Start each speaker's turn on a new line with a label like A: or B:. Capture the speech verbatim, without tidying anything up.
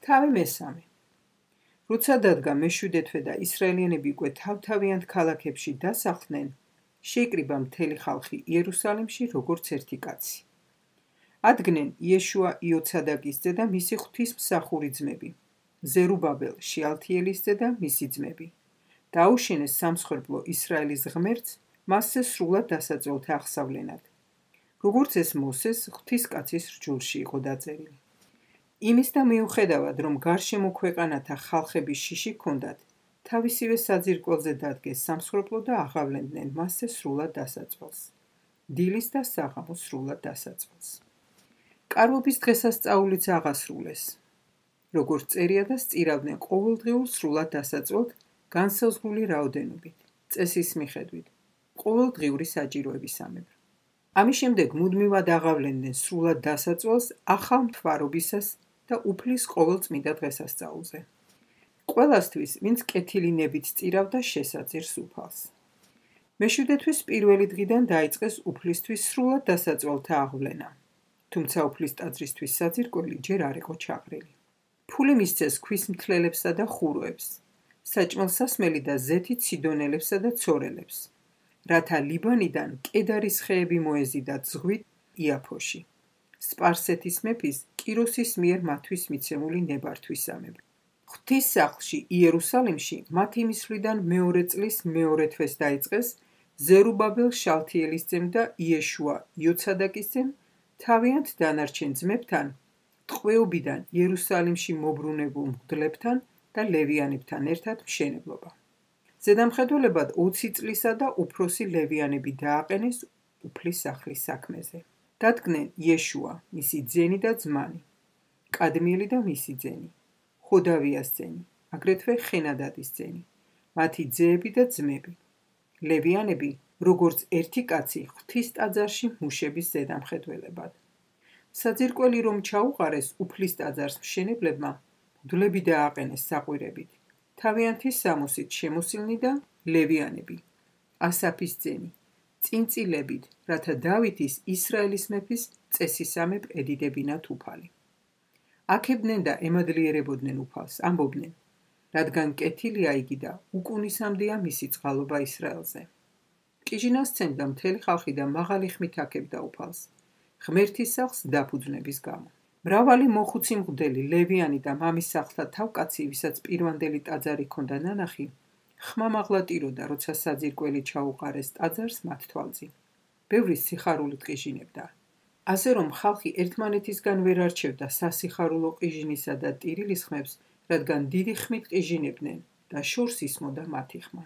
A: თავი მესამე. როცა დადგა მეშვიდე და ისრაელიანები უკვე თავთავიანთ ქალაქებში დასახლდნენ, შეიკრიბა მთელი ხალხი იერუსალიმში როგორც ერთი კაცი. ადგნენ იეშუა იოცადაკის ძე და მისი ღვთისმსახური ძმები, ზერუბაბელ შიალთიელის ძე და მისი ძმები. დაუშენეს სამსხვერპლო ისრაელის ღმერთს მასზე სრულად დასაწოლთა აღსავლენად, როგორც ეს მოსეს ღვთისკაცის რჯულში იყო დაწერილი. იმის და მიუხედავად, რომ გარშემო ქვეყანათა ხალხების შიში ჰქონდათ, თავისივე საძირკველზე დადგეს სამსხვერპლო და აღავლენდნენ მასზე სრულად დასაწყალს, დილის და საღამოს სრულად დასაწყალს. კარვობის დღესასწაულიც აღასრულეს, როგორც წერია და სწირავდნენ ყოველდღიურ სრულად დასაწყალთ განსაზღვრული რაოდენობით, წესის მიხედვით, ყოველდღიური საჭიროებისამებრ. ამის შემდეგ მუდმივად აღავლენდნენ სრულად დასაწყალს ახალ მთვარობისას და უფლის ყოველწმინდა დღესასწაულზე. ყველასთვის, ვინც კეთილი ნებით სწირავდა შესაძირს უფალს. მეშვიდე თვის პირველი დღიდან დაიწყეს უფლისთვის სრულად დასაწვალთა აღვლენა, თუმცა უფლის ტაძრისთვის საძირკველი ჯერ არ იყო ჩაყრილი. ფული მისცეს ქვის მთლელებსა და ხუროებს, საჭმელსასმელი და ზეთით სიდონელებსა და ცორელებს, რათა ლიბანიდან კედარის ხეები მოეზიდათ ზღვით იაფოში, სპარსეთის მეფის კიროსის მიერ მათთვის მიცემული ნებართვისამებრ. ღვთის სახლში იერუსალიმში მათი მისვლიდან მეორე წლის მეორე თვეს დაიწყეს ზერუბაბელ შალთიელის ძემ და იეშუა იოცადაკის ძემ თავიანთ დანარჩენ ძმებთან ტყვეობიდან იერუსალიმში მობრუნებულ მღვდლებთან და ლევიანებთან ერთად მშენებლობა. ზედამხედველებად ოცი წლისა და უფროსი ლევიანები დააყენეს უფლის სახლის საქმეზე. დადგნენ იეშუა, მისი ძენი და ძმანი, კადმიელი და მისი ძენი, ხოდავიას ძენი, აგრეთვე ხენადადის ძენი, მათი ძეები და ძმები. ლევიანები, როგორც ერთი კაცი ღვთის ტაძარში მუშების ზედამხედველებად. საძირკველი რომ ჩაუყარეს უფლის ტაძარს მშენებლებმა, მღვდლები დააყენეს საყვირებით, თავიანთი სამოსით შემოსილნი და ლევიანები, ასაფის ძენი, წინწილებით, რათა დავითის ისრაელის მეფის წესისამებრ ედიდებინათ უფალი. აქებდნენ და ემადლიერებოდნენ უფალს, ამბობდნენ, რადგან კეთილია იგი და უკუნისამდეა მისი წყალობა ისრაელზე. კიჟინას სცემდა მთელი ხალხი და მაღალი ხმით აქებდა უფალს, ღმერთის სახლს დაფუძნების გამო. მრავალი მოხუცი მღვდელი, ლევიანი და მამის სახლთა თავკაცი, ვისაც პირვანდელი ტაძარი ჰქონდა ნანახი, ხმამაღლა ტიროდა, როცა საძირკველი ჩაუყარეს ტაძარს მათ თვალწინ. ბევრი სიხარულით ყიჟინებდა. ასე რომ ხალხი ერთმანეთისგან ვერ არჩევდა სასიხარულო ყიჟინისა და ტირილის ხმებს, რადგან დიდი ხმით ყიჟინებდნენ და შორს ისმოდა მათი ხმა.